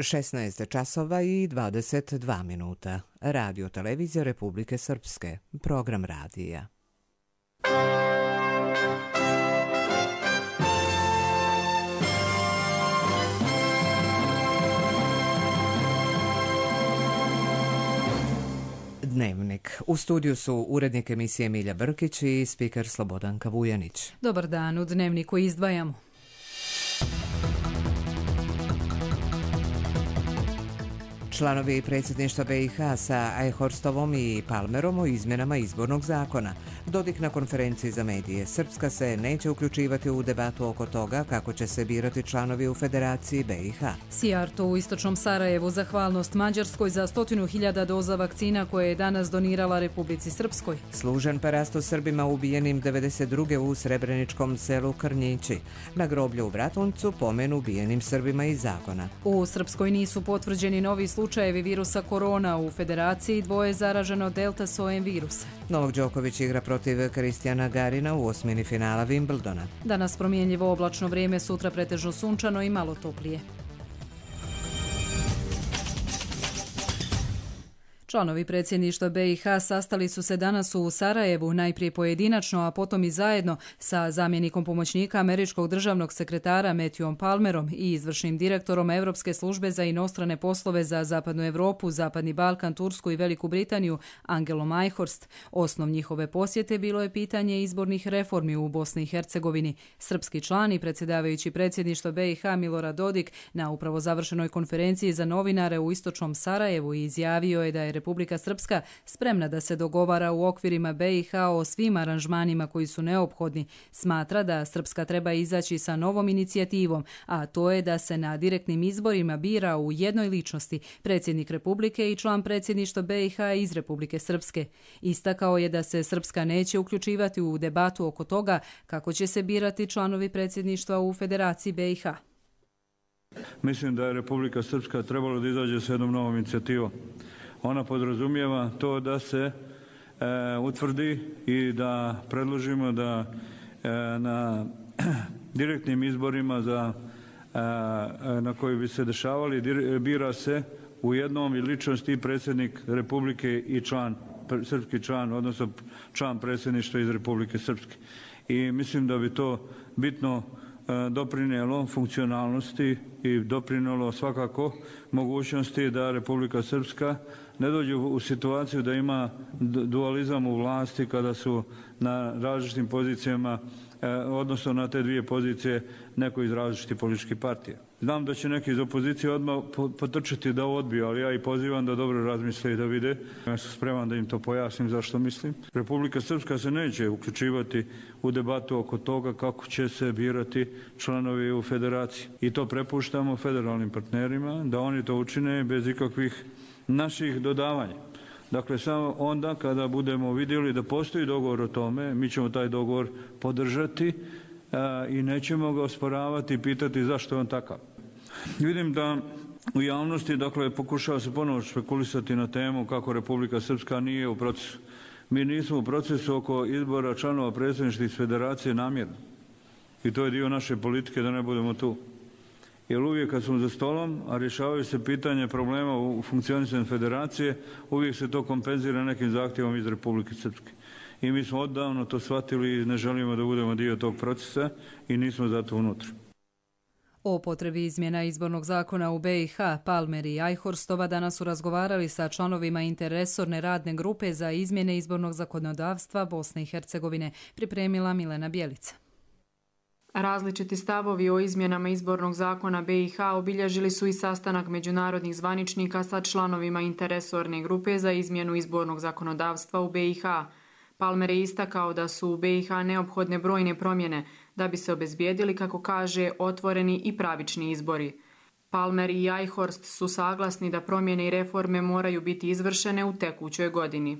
16 časova i 22 minuta. Radio Televizija Republike Srpske. Program radija. Dnevnik. U studiju su urednik emisije Milja Brkić i spiker Slobodanka Vujanić. Dobar dan, u Dnevniku izdvajamo. Članovi predsjedništva BiH sa Ajhorstovom i Palmerom o izmjenama izbornog zakona. Dodik na konferenciji za medije. Srpska se neće uključivati u debatu oko toga kako će se birati članovi u Federaciji BiH. Sijarto u istočnom Sarajevu zahvalnost Mađarskoj za 100.000 doza vakcina koje je danas donirala Republici Srpskoj. Služen parasto Srbima ubijenim 92. u srebreničkom selu Krnjići. Na groblju u Bratuncu pomen ubijenim Srbima iz Zagona. U Srpskoj nisu potvrđeni novi slučajevi virusa korona, u Federaciji dvoje zaraženo delta sojem virusa. Novak Đoković igra protiv Kristijana Garina u osmini finala Wimbledona. Danas promjenljivo oblačno vrijeme, sutra pretežno sunčano i malo toplije. Članovi predsjedništva BiH sastali su se danas u Sarajevu, najprije pojedinačno, a potom i zajedno sa zamjenikom pomoćnika američkog državnog sekretara Matthewom Palmerom i izvršnim direktorom Europske službe za inostrane poslove za Zapadnu Evropu, Zapadni Balkan, Tursku i Veliku Britaniju, Angelom Ajhorst. Osnov njihove posjete bilo je pitanje izbornih reformi u Bosni i Hercegovini. Srpski član i predsjedavajući predsjedništva BiH Milorad Dodik na upravo završenoj konferenciji za novinare u istočnom Sarajevu izjavio je da je Republika Srpska spremna da se dogovara u okvirima BiH o svim aranžmanima koji su neophodni. Smatra da Srpska treba izaći sa novom inicijativom, a to je da se na direktnim izborima bira u jednoj ličnosti predsjednik Republike i član predsjedništva BiH iz Republike Srpske. Istakao je da se Srpska neće uključivati u debatu oko toga kako će se birati članovi predsjedništva u Federaciji BiH. Mislim da je Republika Srpska trebala da izađe sa jednom novom inicijativom. Ona podrazumijeva to da se utvrdi i da predložimo da na direktnim izborima na koji bi se dešavali bira se u jednom i ličnosti i predsjednik Republike i srpski član, odnosno član predsjedništva iz Republike Srpske. I mislim da bi to bitno doprinijelo funkcionalnosti i doprinijelo svakako mogućnosti da Republika Srpska ne dođe u situaciju da ima dualizam u vlasti kada su na različitim pozicijama, odnosno na te dvije pozicije neko iz različitih političkih partija. Znam da će neki iz opozicije odmah potrčati da odbiju, ali ja i pozivam da dobro razmisle i da vide. Ja sam spreman da im to pojasnim zašto mislim. Republika Srpska se neće uključivati u debatu oko toga kako će se birati članovi u federaciji. I to prepuštamo federalnim partnerima da oni to učine bez ikakvih naših dodavanja. Dakle, samo onda kada budemo vidjeli da postoji dogovor o tome, mi ćemo taj dogovor podržati i nećemo ga osporavati i pitati zašto je on takav. Vidim da u javnosti, dakle, pokušava se ponovo špekulisati na temu kako Republika Srpska nije u procesu. Mi nismo u procesu oko izbora članova predsjedništva iz federacije namjerno. I to je dio naše politike da ne budemo tu. Jer uvijek kad smo za stolom, a rješavaju se pitanje problema u funkcionisanju federacije, uvijek se to kompenzira nekim zahtjevom iz Republike Srpske. I mi smo odavno to shvatili i ne želimo da budemo dio tog procesa i nismo zato unutra. O potrebi izmjena izbornog zakona u BiH, Palmer i Ajhorstova danas su razgovarali sa članovima interresorne radne grupe za izmjene izbornog zakonodavstva Bosne i Hercegovine, pripremila Milena Bjelica. Različiti stavovi o izmjenama izbornog zakona BiH obilježili su i sastanak međunarodnih zvaničnika sa članovima interresorne grupe za izmjenu izbornog zakonodavstva u BiH. Palmer je istakao da su u BiH neophodne brojne promjene da bi se obezbijedili, kako kaže, otvoreni i pravični izbori. Palmer i Ajhorst su saglasni da promjene i reforme moraju biti izvršene u tekućoj godini.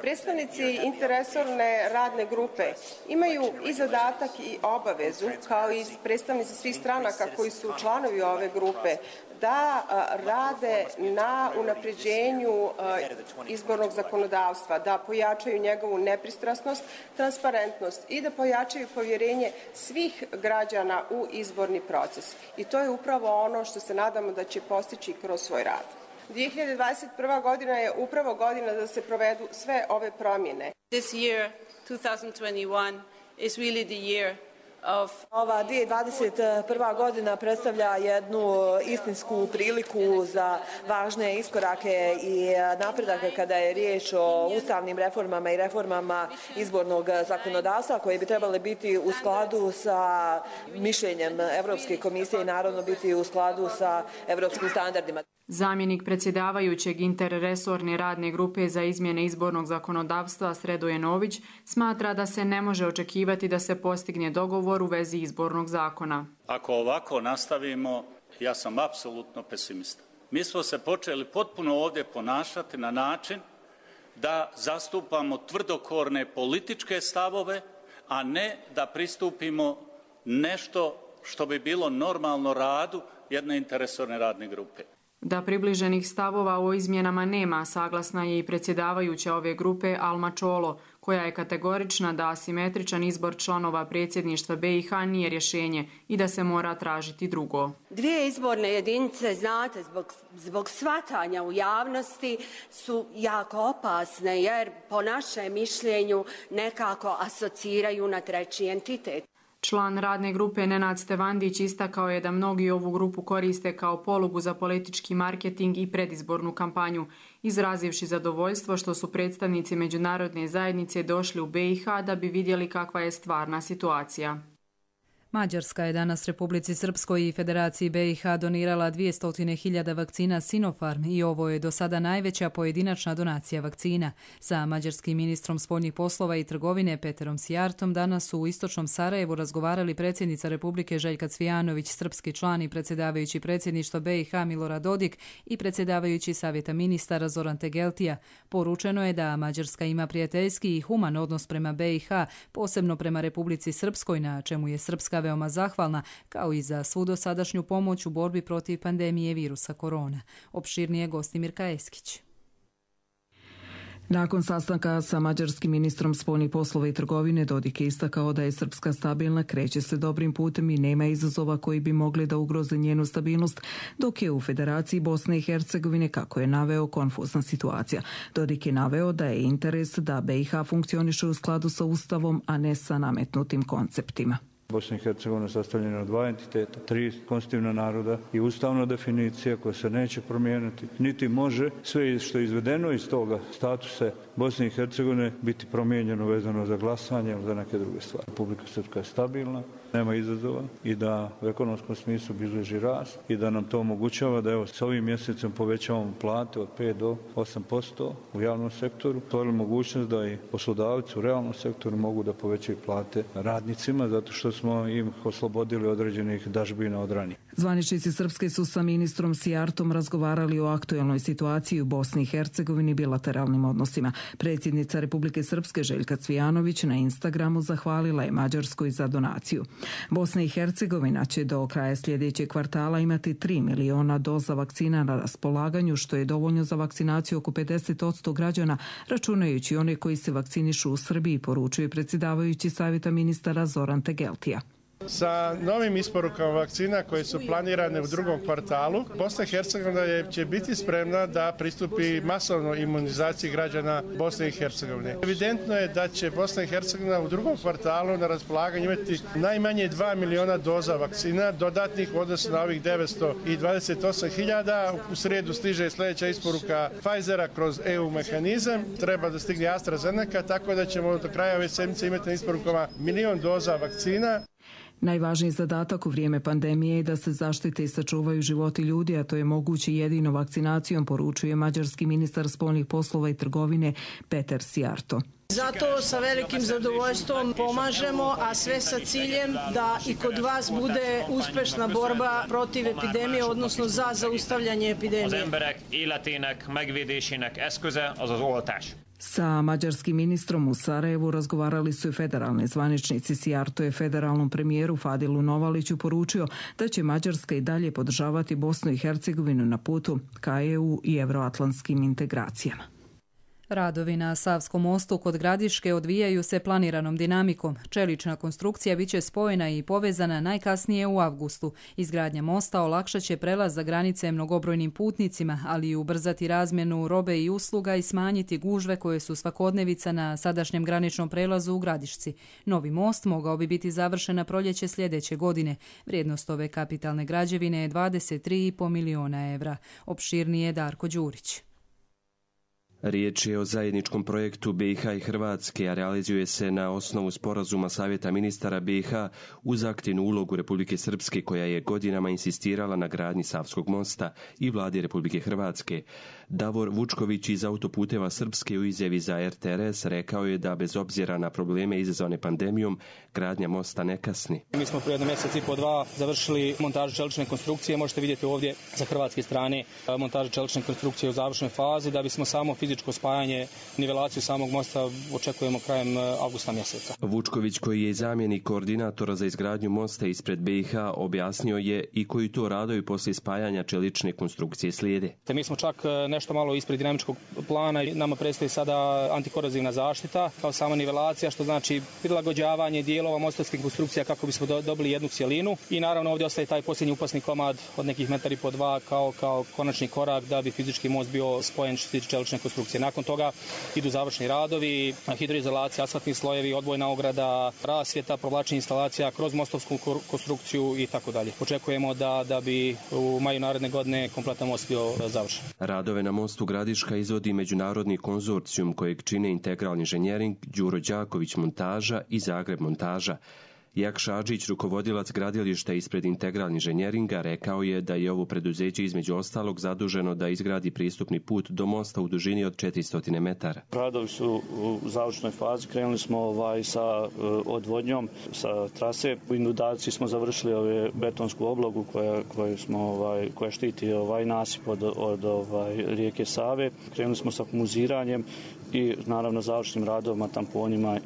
Predstavnici interresorne radne grupe imaju i zadatak i obavezu, kao i predstavnici svih stranaka koji su članovi ove grupe, da rade na unapređenju izbornog zakonodavstva, da pojačaju njegovu nepristrasnost, transparentnost i da pojačaju povjerenje svih građana u izborni proces. I to je upravo ono što se nadamo da će postići kroz svoj rad. 2021. godina je upravo godina da se provedu sve ove promjene. This year, 2021, is really the year. Ova 2021. godina predstavlja jednu istinsku priliku za važne iskorake i napredake kada je riječ o ustavnim reformama i reformama izbornog zakonodavstva koje bi trebale biti u skladu sa mišljenjem Evropske komisije i naravno biti u skladu sa evropskim standardima. Zamjenik predsjedavajućeg interresorne radne grupe za izmjene izbornog zakonodavstva Sredoje Nović smatra da se ne može očekivati da se postigne dogovor u vezi izbornog zakona. Ako ovako nastavimo, ja sam apsolutno pesimista. Mi smo se počeli potpuno ovdje ponašati na način da zastupamo tvrdokorne političke stavove, a ne da pristupimo nešto što bi bilo normalno radu jedne interresorne radne grupe. Da približenih stavova o izmjenama nema, saglasna je i predsjedavajuća ove grupe Alma Čolo, koja je kategorična da asimetričan izbor članova predsjedništva BiH nije rješenje i da se mora tražiti drugo. Dvije izborne jedinice, znate, zbog shvatanja u javnosti su jako opasne jer po našem mišljenju nekako asociraju na treći entitet. Član radne grupe Nenad Stevandić istakao je da mnogi ovu grupu koriste kao polugu za politički marketing i predizbornu kampanju, izrazivši zadovoljstvo što su predstavnici međunarodne zajednice došli u BiH da bi vidjeli kakva je stvarna situacija. Mađarska je danas Republici Srpskoj i Federaciji BiH donirala 200.000 vakcina Sinopharm i ovo je do sada najveća pojedinačna donacija vakcina. Sa mađarskim ministrom spoljnih poslova i trgovine Peterom Sijartom danas su u istočnom Sarajevu razgovarali predsjednica Republike Željka Cvijanović, srpski član i predsjedavajući predsjedništva BiH Milorad Dodik i predsjedavajući Savjeta ministara Zoran Tegeltija. Poručeno je da Mađarska ima prijateljski i human odnos prema BiH, posebno prema Republici Srpskoj, na čemu je Srpska veoma zahvalna, kao i za svu dosadašnju pomoć u borbi protiv pandemije virusa korona. Opširnije gosti Mirka Eskić. Nakon sastanka sa mađarskim ministrom spoljnih poslova i trgovine, Dodik je istakao da je Srpska stabilna, kreće se dobrim putem i nema izazova koji bi mogli da ugroze njenu stabilnost, dok je u Federaciji Bosne i Hercegovine, kako je naveo, konfuzna situacija. Dodik je naveo da je interes da BiH funkcioniše u skladu sa Ustavom, a ne sa nametnutim konceptima. Bosna i Hercegovina sastavljena od dva entiteta, tri konstitutivna naroda i ustavna definicija koja se neće promijeniti, niti može sve što je izvedeno iz toga statusa Bosne i Hercegovine biti promijenjeno vezano za glasanje ili za neke druge stvari. Republika Srpska je stabilna, nema izazova i da u ekonomskom smislu bilježi rast i da nam to omogućava da s ovim mjesecom povećavamo plate od 5 do 8% u javnom sektoru. To je mogućnost da i poslodavci u realnom sektoru mogu da povećaju plate radnicima zato što smo im oslobodili određenih dažbina od ranije. Zvaničnici Srpske su sa ministrom Sijartom razgovarali o aktuelnoj situaciji u Bosni i Hercegovini i bilateralnim odnosima. Predsjednica Republike Srpske Željka Cvijanović na Instagramu zahvalila je Mađarskoj za donaciju. Bosna i Hercegovina će do kraja sljedećeg kvartala imati 3 miliona doza vakcina na raspolaganju, što je dovoljno za vakcinaciju oko 50% građana, računajući one koji se vakcinišu u Srbiji, poručuje predsjedavajući Savjeta ministara Zoran Tegeltija. Sa novim isporukama vakcina koje su planirane u drugom kvartalu, Bosna i Hercegovina će biti spremna da pristupi masovnoj imunizaciji građana Bosne i Hercegovine. Evidentno je da će Bosna i Hercegovina u drugom kvartalu na raspolaganju imati najmanje 2 miliona doza vakcina, dodatnih u odnosu na ovih 928.000. U srijedu stiže sljedeća isporuka Pfizera kroz EU mehanizam. Treba da stigne AstraZeneca, tako da ćemo do kraja ove sedmice imati na isporukama 1 milion doza vakcina. Najvažniji zadatak u vrijeme pandemije je da se zaštite i sačuvaju životi ljudi, a to je moguće jedino vakcinacijom, poručuje mađarski ministar spoljnih poslova i trgovine Peter Sijarto. Zato sa velikim zadovoljstvom pomažemo, a sve sa ciljem da i kod vas bude uspešna borba protiv epidemije, odnosno za zaustavljanje epidemije. Sa mađarskim ministrom u Sarajevu razgovarali su i federalni zvaničnici. Sijarto je federalnom premijeru Fadilu Novaliću poručio da će Mađarska i dalje podržavati Bosnu i Hercegovinu na putu ka EU i evroatlantskim integracijama. Radovi na Savskom mostu kod Gradiške odvijaju se planiranom dinamikom. Čelična konstrukcija biće spojena i povezana najkasnije u avgustu. Izgradnja mosta olakšat će prelaz za granice mnogobrojnim putnicima, ali i ubrzati razmjenu robe i usluga i smanjiti gužve koje su svakodnevica na sadašnjem graničnom prelazu u Gradišci. Novi most mogao bi biti završen na proljeće sljedeće godine. Vrijednost ove kapitalne građevine je 23,5 miliona evra. Opširnije Darko Đurić. Riječ je o zajedničkom projektu BiH i Hrvatske, a realizuje se na osnovu sporazuma Savjeta ministara BiH uz aktivnu ulogu Republike Srpske, koja je godinama insistirala na gradnji Savskog mosta, i vladi Republike Hrvatske. Davor Vučković iz Autoputeva Srpske u izjavi za RTRS rekao je da bez obzira na probleme izazvane pandemijom, gradnja mosta ne kasni. Mi smo prije 1 mjesec i po 2 završili montažu čelične konstrukcije. Možete vidjeti ovdje sa hrvatske strane montažu čelične konstrukcije u završnoj fazi. Da bismo samo fizičko spajanje, nivelaciju samog mosta očekujemo krajem avgusta mjeseca. Vučković, koji je zamjenik koordinatora za izgradnju mosta ispred BiH, objasnio je i koji to radovi poslije spajanja čelične konstrukcije slijede. Mi smo čak nešto malo ispred dinamičkog plana i nama predstoji sada antikorozivna zaštita kao sama nivelacija, što znači prilagođavanje dijelova mostarskih konstrukcija kako bismo dobili jednu cjelinu. I naravno ovdje ostaje taj posljednji upasni komad od nekih 1,5 kao konačni korak da bi fizički most bio spojen što se tiče čelične konstrukcije. Nakon toga idu završni radovi, hidroizolacija, asfaltni slojevi, odvojna ograda, rasvjeta, provlačenje instalacija kroz mostovsku konstrukciju i tako dalje. Očekujemo da bi u maju naredne godine kompletan most bio završen. Radove na mostu Gradiška izvodi međunarodni konzorcijum kojeg čine Integralni inženjering, Đuro Đaković montaža i Zagreb montaža. Jak Šadžić, rukovodilac gradilišta ispred Integralni inženjeringa, rekao je da je ovo preduzeće između ostalog zaduženo da izgradi pristupni put do mosta u dužini od 400 metara. Radovi su u završnoj fazi. Krenuli smo sa odvodnjom, sa trase. U inundaciji smo završili betonsku oblogu koja štiti nasip od rijeke Save. Krenuli smo sa muziranjem i naravno završnim radovima, tamponima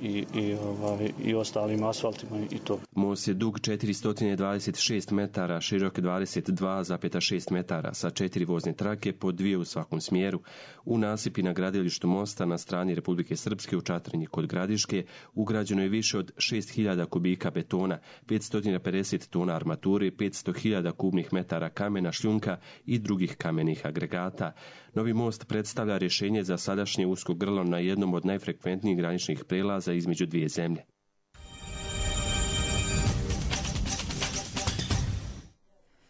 i ostalim asfaltima i to. Most je dug 426 metara, širok 22,6 metara sa 4 vozne trake po 2 u svakom smjeru. U nasipi na gradilištu mosta na strani Republike Srpske u Čatrinji kod Gradiške ugrađeno je više od 6.000 kubika betona, 550 tona armature, 500.000 kubnih metara kamena, šljunka i drugih kamenih agregata. Novi most predstavlja rješenje za sadašnje usko grlo na jednom od najfrekventnijih graničnih prelaza između dvije zemlje.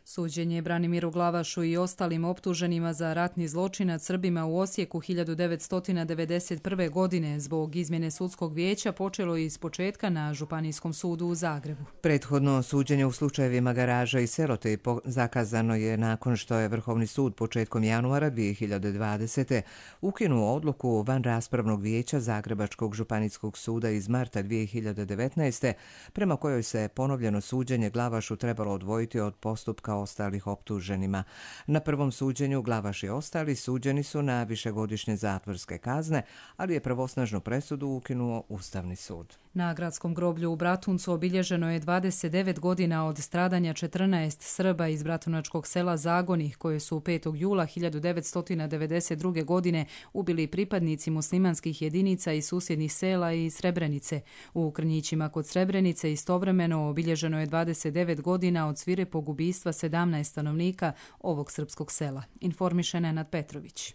Suđenje Branimiru Glavašu i ostalim optuženima za ratni zločin nad Srbima u Osijeku 1991. godine zbog izmjene sudskog vijeća počelo iz početka na Županijskom sudu u Zagrebu. Prethodno suđenje u slučajevima Garaža i Serote zakazano je nakon što je Vrhovni sud početkom januara 2020. ukinuo odluku van raspravnog vijeća Zagrebačkog županijskog suda iz marta 2019. prema kojoj se ponovljeno suđenje Glavašu trebalo odvojiti od postupka ostalih optuženima. Na prvom suđenju Glavaš i ostali suđeni su na višegodišnje zatvorske kazne, ali je pravosnažnu presudu ukinuo Ustavni sud. Na gradskom groblju u Bratuncu obilježeno je 29 godina od stradanja 14 Srba iz bratunačkog sela Zagoni, koje su 5. jula 1992. godine ubili pripadnici muslimanskih jedinica iz susjednih sela i Srebrenice. U Krnjićima kod Srebrenice istovremeno obilježeno je 29 godina od svirepog ubistva 17 stanovnika ovog srpskog sela. Informiše Nenad Petrović.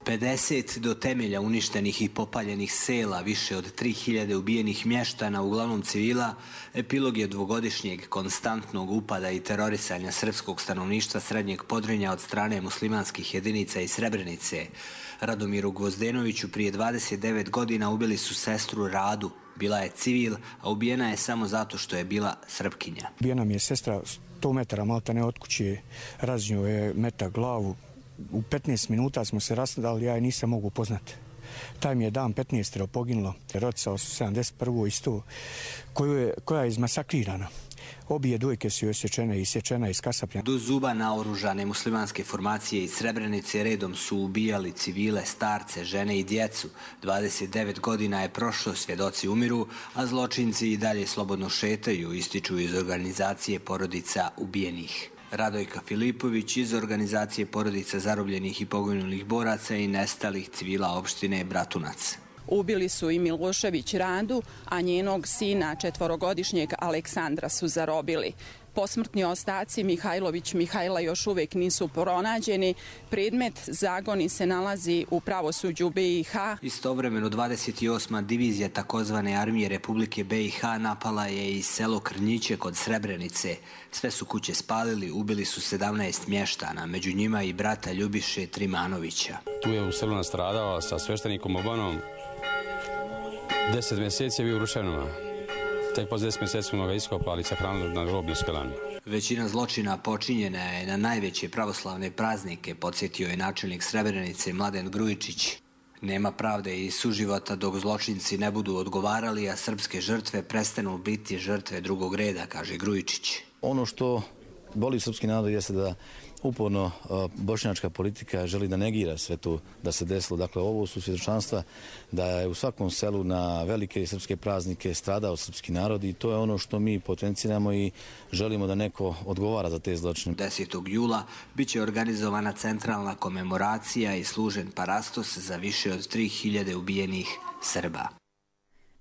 50 do temelja uništenih i popaljenih sela, više od 3000 ubijenih mještana, uglavnom civila, epilog je dvogodišnjeg konstantnog upada i terorisanja srpskog stanovništva Srednjeg Podrinja od strane muslimanskih jedinica iz Srebrenice. Radomiru Gvozdenoviću prije 29 godina ubili su sestru Radu. Bila je civil, a ubijena je samo zato što je bila Srpkinja. Ubijena mi je sestra 100 metara malta ne od kuće, raznio je metak glavu. U 15 minuta smo se rasnadali, ja je nisam mogu upoznati. Taj mi je dan 15 poginulo. Rotica 71. isto, koja je izmasakrirana. Obje dojke su osječene i sječena iz kasapljana. Do zuba naoružane muslimanske formacije iz Srebrenice redom su ubijali civile, starce, žene i djecu. 29 godina je prošlo, svjedoci umiru, a zločinci i dalje slobodno šetaju, ističu iz organizacije porodica ubijenih. Radojka Filipović iz organizacije porodica zarobljenih i poginulih boraca i nestalih civila opštine Bratunac. Ubili su i Milošević Randu, a njenog sina 4-godišnjeg Aleksandra su zarobili. Posmrtni ostaci Mihajlović Mihajla još uvijek nisu pronađeni. Predmet zagoni se nalazi u pravosuđu BiH. Istovremeno 28. divizija takozvane armije Republike BiH napala je i selo Krnjiće kod Srebrenice. Sve su kuće spalili, ubili su 17 mještana, među njima i brata Ljubiše Trimanovića. Tu je u selu nastradao sa sveštenikom Obanom. 10 mjeseci je bio u ruševinama. Tek po 10 mjeseci smo ga iskopali, sahranili na groblju Skelanu. Većina zločina počinjena je na najveće pravoslavne praznike, podsjetio je načelnik Srebrenice Mladen Grujičić. Nema pravde i suživota dok zločinci ne budu odgovarali, a srpske žrtve prestanu biti žrtve drugog reda, kaže Grujičić. Ono što boli srpski narod jeste da uporno bošnjačka politika želi da negira sve to da se desilo. Dakle, ovo su svjedočanstva da je u svakom selu na velike srpske praznike stradao srpski narod i to je ono što mi potenciramo i želimo da neko odgovara za te zločine. 10. jula biće organizovana centralna komemoracija i služen parastos za više od 3000 ubijenih Srba.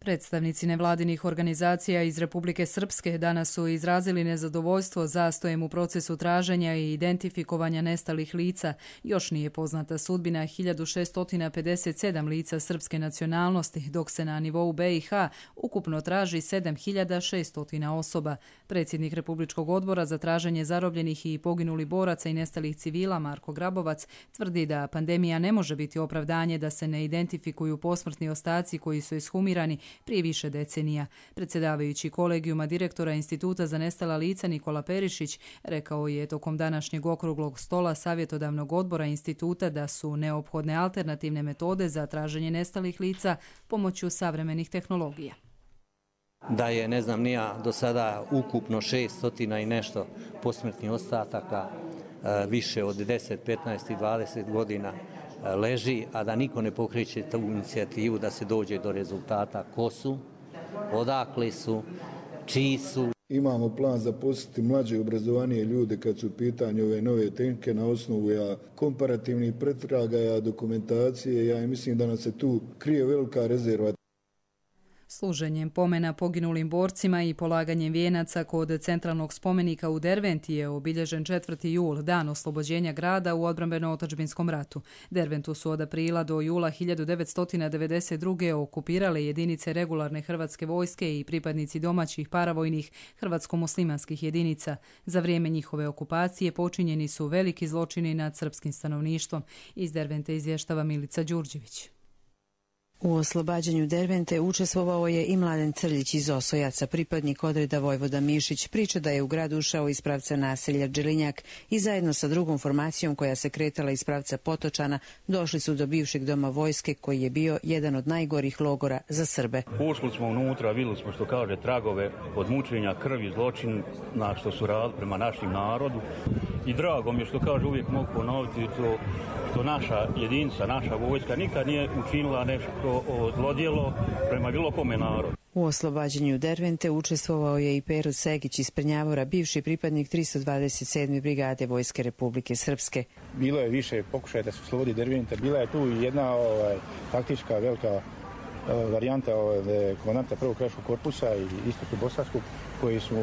Predstavnici nevladinih organizacija iz Republike Srpske danas su izrazili nezadovoljstvo zastojem u procesu traženja i identifikovanja nestalih lica. Još nije poznata sudbina 1657 lica srpske nacionalnosti, dok se na nivou BiH ukupno traži 7600 osoba. Predsjednik Republičkog odbora za traženje zarobljenih i poginulih boraca i nestalih civila Marko Grabovac tvrdi da pandemija ne može biti opravdanje da se ne identifikuju posmrtni ostaci koji su ishumirani prije više decenija. Predsjedavajući kolegijuma direktora Instituta za nestala lica Nikola Perišić rekao je tokom današnjeg okruglog stola savjetodavnog odbora instituta da su neophodne alternativne metode za traženje nestalih lica pomoću savremenih tehnologija. Da je, ne znam ni ja, do sada ukupno 600 i nešto posmrtnih ostataka, više od 10, 15 i 20 godina leži, a da niko ne pokreće tu inicijativu da se dođe do rezultata ko su, odakle su, čiji su. Imamo plan zaposliti mlađe i obrazovanije ljude kad su u pitanju ove nove tehnike na osnovu komparativnih pretraga, dokumentacije. Ja mislim da nam se tu krije velika rezerva. Služenjem pomena poginulim borcima i polaganjem vijenaca kod centralnog spomenika u Derventi je obilježen 4. jul, dan oslobođenja grada u odbrambeno-otadžbinskom ratu. Derventu su od aprila do jula 1992. okupirale jedinice regularne hrvatske vojske i pripadnici domaćih paravojnih hrvatsko-muslimanskih jedinica. Za vrijeme njihove okupacije počinjeni su veliki zločini nad srpskim stanovništvom. Iz Dervente izvještava Milica Đurđević. U oslobađanju Dervente učestvovao je i Mladen Crljić iz Osojaca, pripadnik odreda Vojvoda Mišić. Priča da je u grad ušao iz pravca naselja Đelinjak i zajedno sa drugom formacijom koja se kretala iz pravca Potočana došli su do bivšeg doma vojske koji je bio jedan od najgorih logora za Srbe. Ušli smo unutra, vidjeli smo što kaže tragove od mučenja, krvi, zločin na što su radili prema našim narodu i drago mi je što kaže uvijek mogu ponoviti to što naša jedinica, naša vojska nikad nije učinila nešto zlodjelo prema bilo kome narodu. U oslobađanju Dervente učestvovao je i Pero Segić iz Prnjavora, bivši pripadnik 327. brigade Vojske Republike Srpske. Bilo je više pokušaja da se oslobodi Derventa, bila je tu jedna taktička velika varijanta komandanta prvog krajiškog korpusa i istoku bosanskog koji su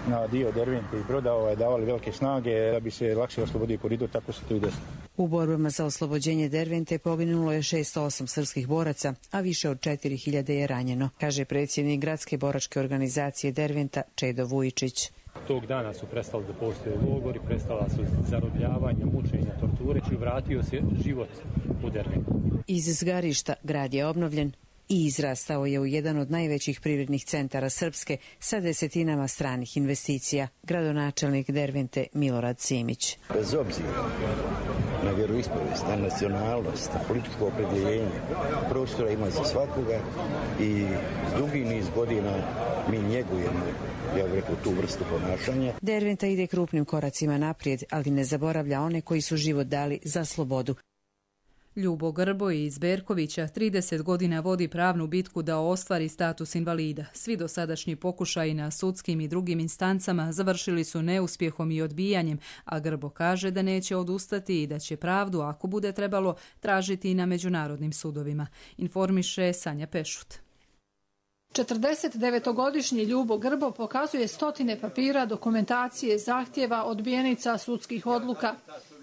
na dio Dervente i Broda davali velike snage da bi se lakše oslobodio koridor, tako se to i desilo. U borbama za oslobođenje Dervente poginulo je 608 srpskih boraca, a više od 4000 je ranjeno, kaže predsjednik gradske boračke organizacije Derventa Čedo Vujičić. Tog dana su prestali da postoje logori, prestala su zarobljavanja, mučenja, torture i vratio se život u Derventu. Iz zgarišta grad je obnovljen i izrastao je u jedan od najvećih privrednih centara Srpske sa desetinama stranih investicija. Gradonačelnik Dervente Milorad Simić. Bez obzira na vjeru vjeroispovijest, na nacionalnost, na političko opredjeljenje. Prostora ima za svakoga i dugi niz godina mi njegujemo, ja bih rekao, tu vrstu ponašanja. Derventa ide krupnim koracima naprijed, ali ne zaboravlja one koji su život dali za slobodu. Ljubo Grbo iz Berkovića 30 godina vodi pravnu bitku da ostvari status invalida. Svi dosadašnji pokušaji na sudskim i drugim instancama završili su neuspjehom i odbijanjem, a Grbo kaže da neće odustati i da će pravdu, ako bude trebalo, tražiti i na međunarodnim sudovima. Informiše Sanja Pešut. 49-godišnji Ljubo Grbo pokazuje stotine papira, dokumentacije, zahtjeva, odbijenica, sudskih odluka.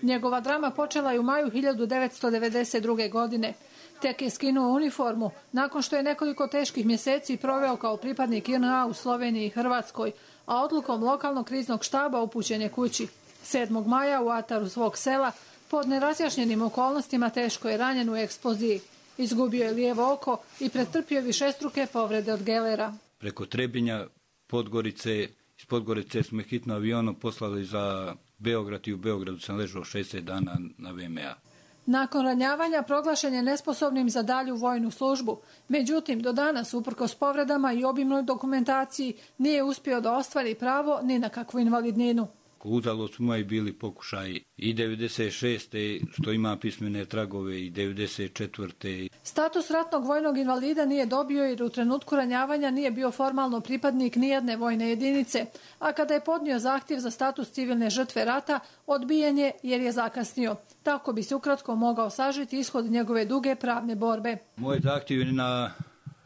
Njegova drama počela je u maju 1992. godine. Tek je skinuo uniformu nakon što je nekoliko teških mjeseci proveo kao pripadnik JNA u Sloveniji i Hrvatskoj, a odlukom lokalnog kriznog štaba upućen je kući. 7. maja u ataru svog sela pod nerazjašnjenim okolnostima teško je ranjen u eksploziji. Izgubio je lijevo oko i pretrpio višestruke povrede od gelera. Preko Trebinja, Podgorice, iz Podgorice smo hitno avionom poslali za Beograd i u Beogradu sam ležao 60 dana na VMA. Nakon ranjavanja proglašen je nesposobnim za dalju vojnu službu. Međutim, do danas, uprkos povredama i obimnoj dokumentaciji, nije uspio da ostvari pravo ni na kakvu invalidninu. Uzalud su moji bili pokušaji i 96. što ima pismene tragove i 94. Status ratnog vojnog invalida nije dobio jer u trenutku ranjavanja nije bio formalno pripadnik nijedne vojne jedinice, a kada je podnio zahtjev za status civilne žrtve rata, odbijen je jer je zakasnio. Tako bi se ukratko mogao sažiti ishod njegove duge pravne borbe. Moj zahtjev je na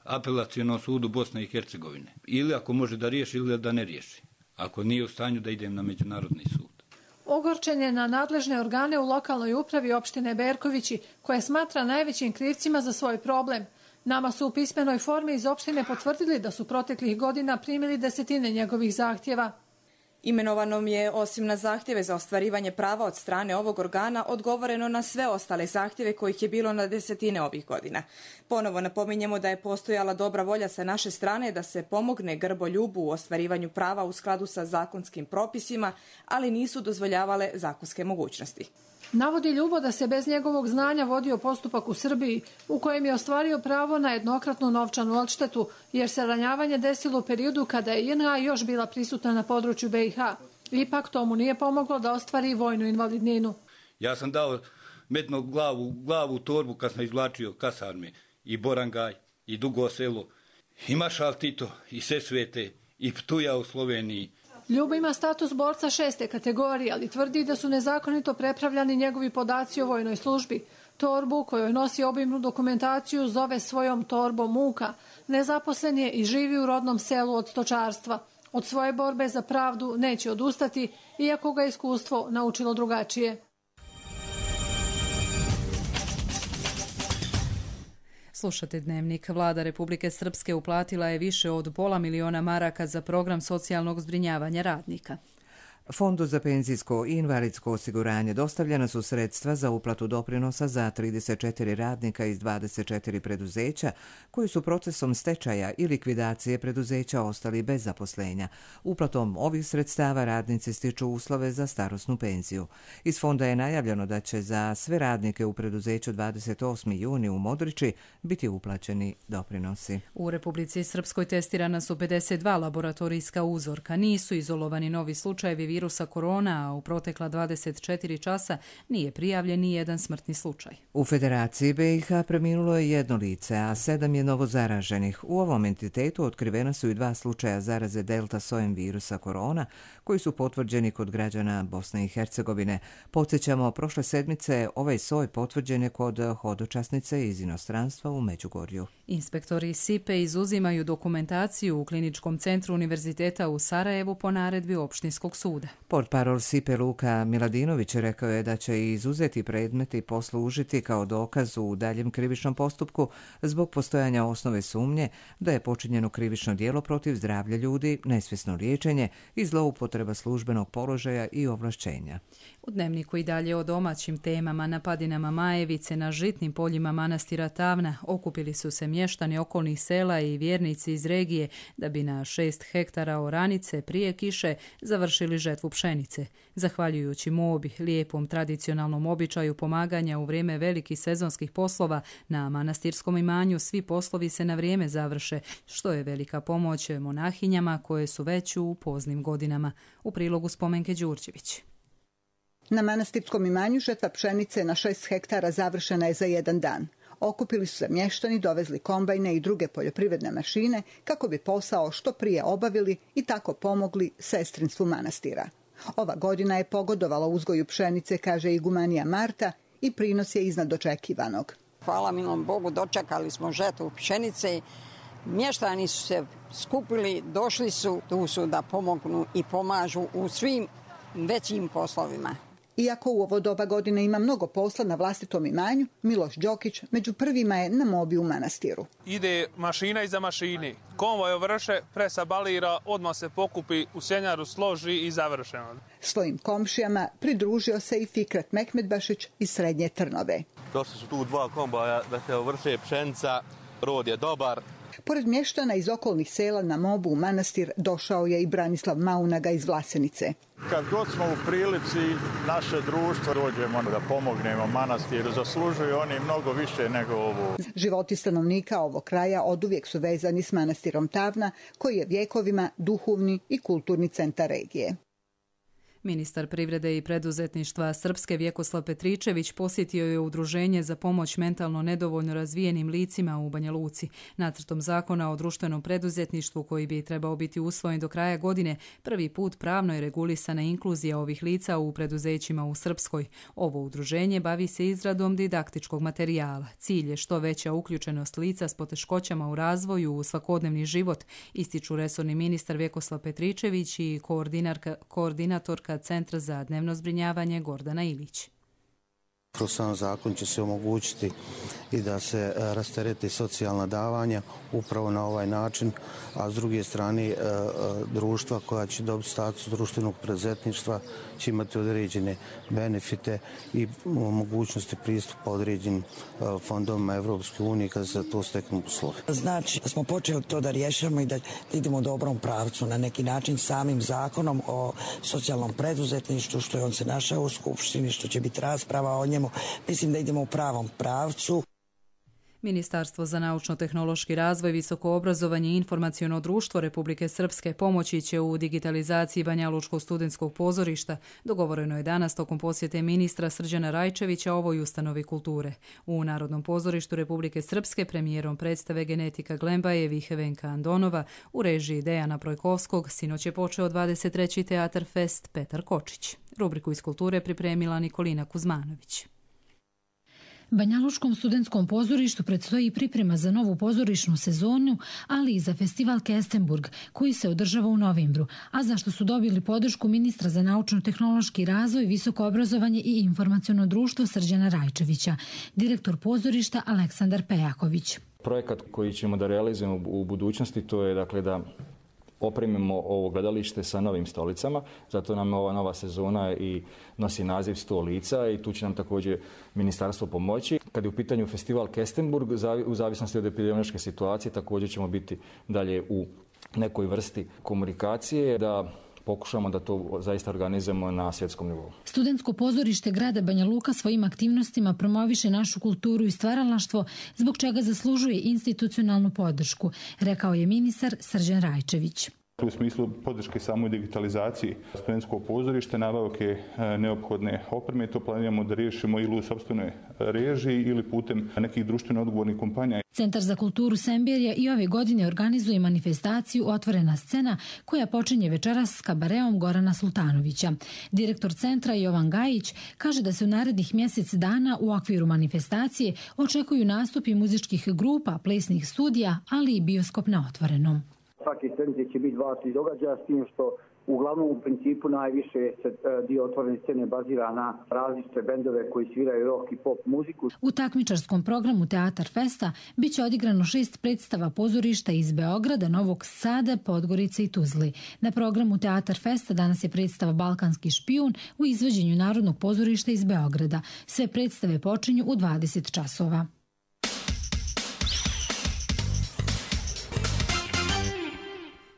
apelacionom sudu Bosne i Hercegovine. Ili ako može da riješi ili da ne riješi. Ako nije u stanju da idem na međunarodni sud. Ogorčen je na nadležne organe u lokalnoj upravi opštine Berkovići, koje smatra najvećim krivcima za svoj problem. Nama su u pismenoj formi iz opštine potvrdili da su proteklih godina primili desetine njegovih zahtjeva. Imenovanom je, osim na zahtjeve za ostvarivanje prava od strane ovog organa, odgovoreno na sve ostale zahtjeve kojih je bilo na desetine ovih godina. Ponovo napominjemo da je postojala dobra volja sa naše strane da se pomogne Grbo Ljubu u ostvarivanju prava u skladu sa zakonskim propisima, ali nisu dozvoljavale zakonske mogućnosti. Navodi Ljubo da se bez njegovog znanja vodio postupak u Srbiji u kojem je ostvario pravo na jednokratnu novčanu odštetu, jer se ranjavanje desilo u periodu kada je JNA još bila prisutna na području BiH. Ipak tomu nije pomoglo da ostvari vojnu invalidninu. Ja sam dao metno glavu u torbu kad sam izvlačio kasarme i Borangaj i Dugo selo i Maršal Tito i Sesvete i Ptuja u Sloveniji. Ljubo ima status borca 6. kategorije, ali tvrdi da su nezakonito prepravljani njegovi podaci o vojnoj službi. Torbu kojoj nosi obimnu dokumentaciju zove svojom torbom muka. Nezaposlen je i živi u rodnom selu od stočarstva. Od svoje borbe za pravdu neće odustati, iako ga iskustvo naučilo drugačije. Slušate Dnevnik. Vlada Republike Srpske uplatila je više od $500 000 za program socijalnog zbrinjavanja radnika. Fondu za penzijsko i invalidsko osiguranje dostavljena su sredstva za uplatu doprinosa za 34 radnika iz 24 preduzeća koji su procesom stečaja i likvidacije preduzeća ostali bez zaposlenja. Uplatom ovih sredstava radnici stiču uslove za starosnu penziju. Iz fonda je najavljeno da će za sve radnike u preduzeću 28. juni u Modriči biti uplaćeni doprinosi. U Republici Srpskoj testirana su 52 laboratorijska uzorka. Nisu izolovani novi slučajevi virusa korona, a u protekla 24 časa nije prijavljen ni jedan smrtni slučaj. U Federaciji BiH preminulo je 1 lice, a 7 je novo zaraženih. U ovom entitetu otkrivena su i 2 slučaja zaraze delta sojem virusa korona, koji su potvrđeni kod građana Bosne i Hercegovine. Podsjećamo, prošle sedmice ovaj soj potvrđen je kod hodočasnice iz inostranstva u Međugorju. Inspektori SIPE izuzimaju dokumentaciju u Kliničkom centru Univerziteta u Sarajevu po naredbi opštinskog suda. Portparol SIPE Luka Miladinović rekao je da će izuzeti predmeti poslužiti kao dokaz u daljem krivičnom postupku zbog postojanja osnove sumnje da je počinjeno krivično djelo protiv zdravlja ljudi, nesvjesno liječenje i zloupotreba službenog položaja i ovlašćenja. U Dnevniku i dalje o domaćim temama. Na padinama Majevice na žitnim poljima manastira Tavna okupili su se mještani okolnih sela i vjernici iz regije da bi na 6 hektara oranice prije kiše završili žetvu žetvu pšenice. Zahvaljujući mobi, lijepom tradicionalnom običaju pomaganja u vrijeme velikih sezonskih poslova, na manastirskom imanju svi poslovi se na vrijeme završe, što je velika pomoć monahinjama koje su već u poznim godinama. U prilogu Spomenke Đurđević. Na manastirskom imanju žetva pšenice na 6 hektara završena je za jedan dan. Okupili su se mještani, dovezli kombajne i druge poljoprivredne mašine kako bi posao što prije obavili i tako pomogli sestrinstvu manastira. Ova godina je pogodovala uzgoju pšenice, kaže igumanija Marta, i prinos je iznad očekivanog. Hvala milom Bogu, dočekali smo žetvu pšenice. Mještani su se skupili, došli su, tu su da pomognu i pomažu u svim većim poslovima. Iako u ovo doba godine ima mnogo posla na vlastitom imanju, Miloš Đokić među prvima je na mobi u manastiru. Ide mašina iza mašini. Konvoj ovrše, presa balira, odmah se pokupi, u sjenjaru složi i završeno. Svojim komšijama pridružio se i Fikret Mekmedbašić iz Srednje Trnove. Došli su tu 2 kombaja da se ovrše pšenica, rod je dobar. Pored mještana iz okolnih sela na mobu u manastir došao je i Branislav Maunaga iz Vlasenice. Kad god smo u prilici naše društvo dođemo da pomognemo manastiru, zaslužuju oni mnogo više nego ovo. Životi stanovnika ovog kraja oduvijek su vezani s manastirom Tavna, koji je vjekovima duhovni i kulturni centar regije. Ministar privrede i preduzetništva Srpske Vjekoslav Petričević posjetio je udruženje za pomoć mentalno nedovoljno razvijenim licima u Banja Luci. Nacrtom zakona o društvenom preduzetništvu koji bi trebao biti usvojen do kraja godine, prvi put pravno je regulisana inkluzija ovih lica u preduzećima u Srpskoj. Ovo udruženje bavi se izradom didaktičkog materijala. Cilj je što veća uključenost lica s poteškoćama u razvoju u svakodnevni život, ističu resorni ministar Vjekoslav Petričević i koordinatorka Centra za dnevno zbrinjavanje Gordana Ilić. Kroz sam zakon će se omogućiti i da se rastereti socijalna davanja upravo na ovaj način, a s druge strane društva koja će dobiti status društvenog preduzetništva će imati određene benefite i mogućnosti pristupa određenim fondovima Evropske unije kada se to steknu uslovi. Znači da smo počeli to da rješamo i da idemo u dobrom pravcu na neki način samim zakonom o socijalnom preduzetništvu, što je on se našao u Skupštini, što će biti rasprava o njemu. Mislim da idemo u pravom pravcu. Ministarstvo za naučno-tehnološki razvoj, visoko obrazovanje i informaciono društvo Republike Srpske pomoći će u digitalizaciji Banja Lučkog studentskog pozorišta. Dogovoreno je danas tokom posjete ministra Srđana Rajčevića ovoj ustanovi kulture. U Narodnom pozorištu Republike Srpske premijerom predstave Genetika Glembajevih Venka Andonova u režiji Dejana Projkovskog sinoć je počeo 23. Teatar Fest Petar Kočić. Rubriku iz kulture pripremila Nikolina Kuzmanović. Banja Lučkom studentskom pozorištu predstoji priprema za novu pozorišnu sezonu, ali i za festival Kestenburg, koji se održava u novembru, a za što su dobili podršku ministra za naučno-tehnološki razvoj, visoko obrazovanje i informaciono društvo Srđana Rajčevića, direktor pozorišta Aleksandar Pejaković. Projekat koji ćemo da realizujemo u budućnosti, to je dakle da opremimo ovo gledalište sa novim stolicama, zato nam ova nova sezona i nosi naziv 100 lica i tu će nam također ministarstvo pomoći. Kad je u pitanju festival Kestenburg, u zavisnosti od epidemiološke situacije, također ćemo biti dalje u nekoj vrsti komunikacije da pokušamo da to zaista organizujemo na svjetskom nivou. Studentsko pozorište grada Banja Luka svojim aktivnostima promoviše našu kulturu i stvaralaštvo, zbog čega zaslužuje institucionalnu podršku, rekao je ministar Srđan Rajčević. U smislu podrške samoj digitalizaciji studentskog pozorišta, nabavke neophodne opreme, to planiramo da riješimo ili u sopstvenoj režiji ili putem nekih društveno odgovornih kompanija. Centar za kulturu Semberija i ove godine organizuje manifestaciju Otvorena scena koja počinje večeras s kabareom Gorana Sultanovića. Direktor centra Jovan Gajić kaže da se u narednih mjesec dana u okviru manifestacije očekuju nastupi muzičkih grupa, plesnih studija, ali i bioskop na otvorenom. Svake sedmice će biti 2-3 događaja, s tim što uglavnom u principu najviše se dio otvorene scene bazira na različite bendove koji sviraju rock i pop muziku. U takmičarskom programu Teatar Festa biće odigrano 6 predstava pozorišta iz Beograda, Novog Sada, Podgorice i Tuzli. Na programu Teatar Festa danas je predstava Balkanski špijun u izvođenju Narodnog pozorišta iz Beograda. Sve predstave počinju u 20 časova.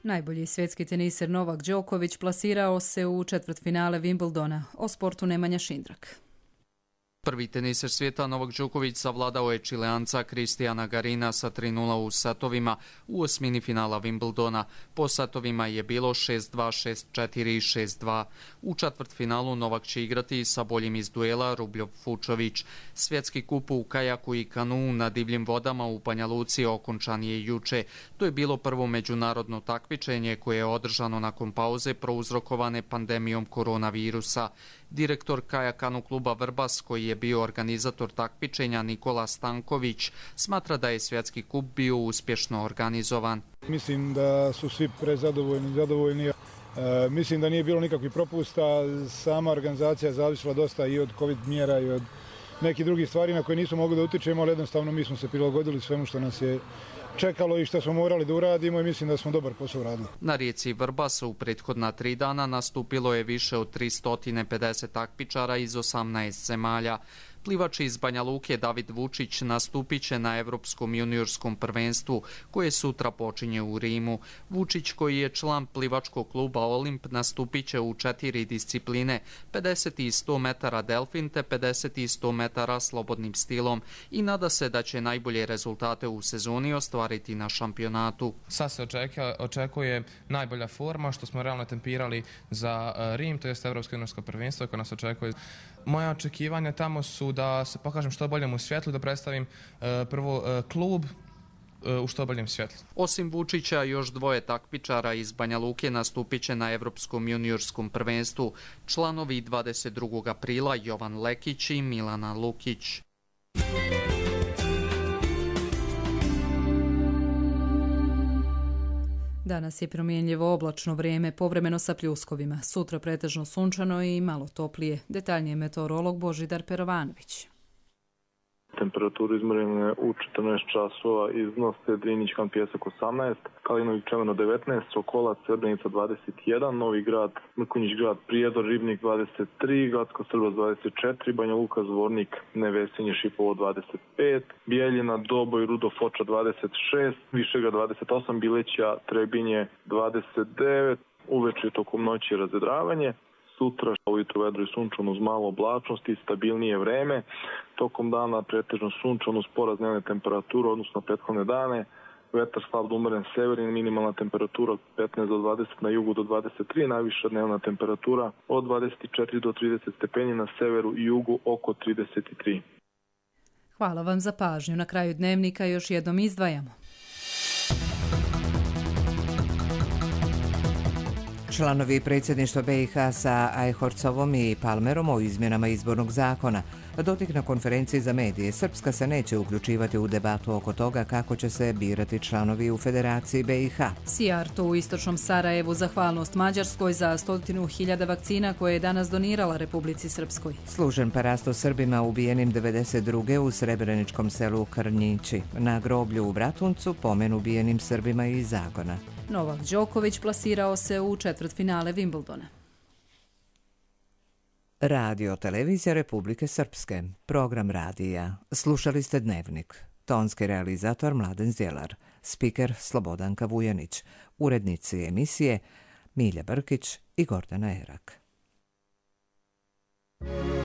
Najbolji svjetski teniser Novak Đoković plasirao se u četvrtfinale Wimbledona. O sportu Nemanja Šindrak. Prvi teniser svijeta Novak Đoković savladao je Čileanca Kristijana Garina sa 3:0 u setovima u osmini finala Wimbledona. Po setovima je bilo 6:2, 6:4 i 6:2. U četvrtfinalu Novak će igrati sa boljim iz duela Rubljov-Fučović. Svjetski kup u kajaku i kanuu na divljim vodama u Banja Luci okončan je juče. To je bilo prvo međunarodno takmičenje koje je održano nakon pauze prouzrokovane pandemijom koronavirusa. Direktor kajakanu kluba Vrbas, koji je bio organizator takmičenja, Nikola Stanković, smatra da je svjetski kup bio uspješno organizovan. Mislim da su svi zadovoljni. Mislim da nije bilo nikakvih propusta. Sama organizacija je zavisila dosta i od COVID mjera i od nekih drugih stvari na koje nismo mogli da utičemo, ali jednostavno mi smo se prilagodili svemu što nas je čekalo i što smo morali da uradimo i mislim da smo dobar posao radili. Na rijeci Vrbas u prethodna 3 dana nastupilo je više od 350 takmičara iz 18 zemalja. Plivač iz Banja Luke David Vučić nastupit će na Evropskom juniorskom prvenstvu koje sutra počinje u Rimu. Vučić, koji je član plivačkog kluba Olimp, nastupit će u 4 discipline, 50 i 100 metara delfin te 50 i 100 metara slobodnim stilom i nada se da će najbolje rezultate u sezoni ostvariti na šampionatu. Sad se očekuje najbolja forma, što smo realno tempirali za Rim, to je Evropsko juniorsko prvenstvo koje nas očekuje. Moja očekivanja tamo su da se pokažem što boljem u svjetlu, da predstavim prvo klub u što boljem svjetlu. Osim Vučića, još 2 takmičara iz Banja Luke nastupit će na Evropskom juniorskom prvenstvu. Članovi 22. aprila Jovan Lekić i Milana Lukić. Danas je promjenljivo oblačno vrijeme, povremeno sa pljuskovima. Sutra pretežno sunčano i malo toplije. Detaljnije meteorolog Božidar Perovanović. Temperaturu izmjerene u 14 časova iznose Drinjić-Kan Pjesak 18, Kalinović Čemerno 19, Sokolac Srebrenica 21, Novi Grad, Mrkonjić Grad, Prijedor, Ribnik 23, Gradsko Srbas 24, Banja Luka, Zvornik, Nevesinje, Šipovo 25, Bijeljina, Doboj, Rudo, Foča 26, Višegrad 28, Bileća, Trebinje 29, uveče tokom noći razvedravanje. Sutra ujutro vedro i sunčano uz malo oblačnosti i stabilnije vreme. Tokom dana pretežno sunčano uz porast dnevne temperature, odnosno prethodne dane. Vetar slab do umeren severin, minimalna temperatura od 15 do 20, na jugu do 23, najviša dnevna temperatura od 24 do 30 stepeni, na severu i jugu oko 33. Hvala vam za pažnju. Na kraju dnevnika još jednom izdvajamo. Članovi predsjedništva BiH sa Ajhorcovom i Palmerom o izmjenama izbornog zakona. Dodik na konferenciji za medije. Srpska se neće uključivati u debatu oko toga kako će se birati članovi u Federaciji BiH. Sijarto u istočnom Sarajevu zahvalnost Mađarskoj za 100.000 vakcina koje je danas donirala Republici Srpskoj. Služen parasto Srbima ubijenim 92. u srebreničkom selu Krnjići. Na groblju u Bratuncu pomen ubijenim Srbima iz Zagona. Novak Đoković plasirao se u četvrtfinale Wimbledona. Radio Televizija Republike Srpske. Program radija. Slušali ste Dnevnik. Tonski realizator Mladen Zdjelar. Spiker Slobodanka Vujanić. Urednici emisije Milja Brkić i Gordana Erak.